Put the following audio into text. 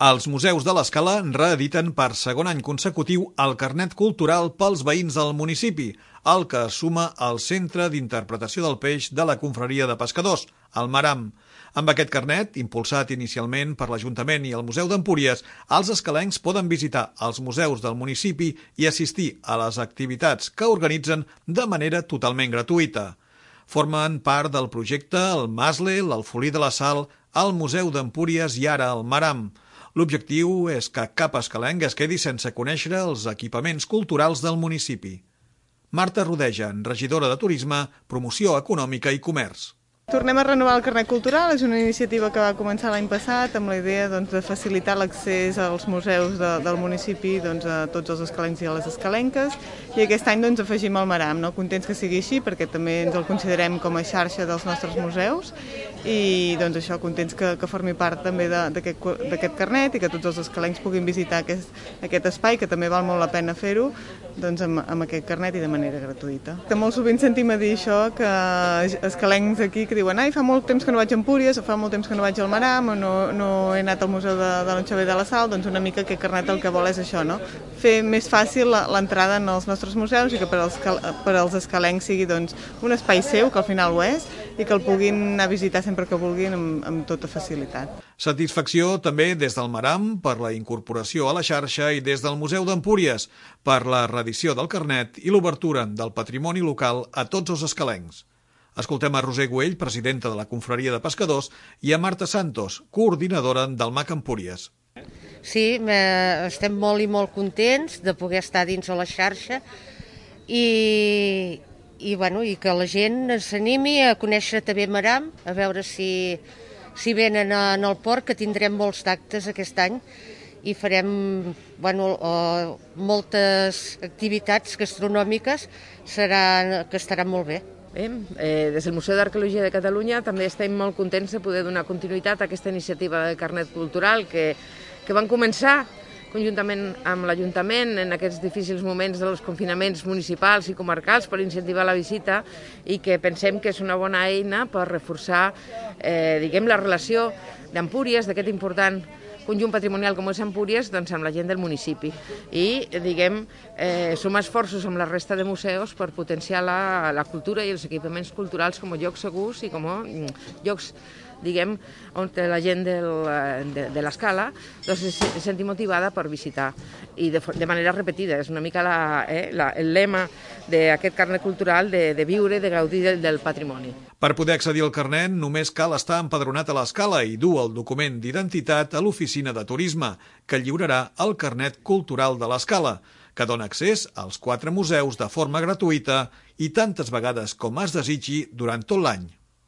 Els museus de l'Escala reediten per segon any consecutiu el carnet cultural pels veïns del municipi, el que suma el Centre d'Interpretació del Peix de la Confraria de Pescadors, el Maram. Amb aquest carnet, impulsat inicialment per l'Ajuntament i el Museu d'Empúries, els escalencs poden visitar els museus del municipi i assistir a les activitats que organitzen de manera totalment gratuïta. Formen part del projecte el Masle, l'Alfolí de la Sal, el Museu d'Empúries i ara el Maram. L'objectiu és que cap escalenc es quedi sense conèixer els equipaments culturals del municipi. Marta Rodejan, regidora de Turisme, Promoció Econòmica i Comerç. Tornem a renovar el carnet cultural, és una iniciativa que va començar l'any passat amb la idea de facilitar l'accés als museus del municipi a tots els escalencs i a les escalenques, i aquest any afegim el Maram, contents que sigui així perquè també ens el considerem com a xarxa dels nostres museus i això, contents que formi part també d'aquest carnet i que tots els escalencs puguin visitar aquest espai, que també val molt la pena fer-ho amb aquest carnet i de manera gratuïta. Molt sovint sentim a dir això, que escalencs aquí que diuen fa molt temps que no vaig a Empúries, o fa molt temps que no vaig al Maram, o no he anat al Museu de l'Anxover de la Sal, una mica aquest carnet el que vol és això, fer més fàcil l'entrada en els nostres museus i que per als escalencs sigui un espai seu, que al final ho és, i que el puguin anar a visitar sempre que vulguin amb tota facilitat. Satisfacció també des del Maram per la incorporació a la xarxa i des del Museu d'Empúries per la reedició del carnet i l'obertura del patrimoni local a tots els escalencs. Escoltem a Roser Güell, presidenta de la Confraria de Pescadors, i a Marta Santos, coordinadora del MAC Empúries. Sí, estem molt i molt contents de poder estar dins de la xarxa i que la gent s'animi a conèixer també Maram, a veure si venen al port, que tindrem molts actes aquest any i farem moltes activitats gastronòmiques que estaran molt bé. Des del Museu d'Arqueologia de Catalunya també estem molt contents de poder donar continuïtat a aquesta iniciativa de carnet cultural que van començar conjuntament amb l'Ajuntament en aquests difícils moments dels confinaments municipals i comarcals per incentivar la visita i que pensem que és una bona eina per reforçar la relació d'Empúries, d'aquest important conjunt patrimonial com és Empúries, amb la gent del municipi i, sumar esforços amb la resta de museus per potenciar la cultura i els equipaments culturals com a llocs segurs i com a llocs on la gent de l'Escala se senti motivada per visitar i de manera repetida. És una mica el lema d'aquest carnet cultural de viure, de gaudir del patrimoni. Per poder accedir al carnet només cal estar empadronat a l'Escala i dur el document d'identitat a l'oficina de turisme, que lliurarà el carnet cultural de l'Escala, que dona accés als 4 museus de forma gratuïta i tantes vegades com es desitgi durant tot l'any.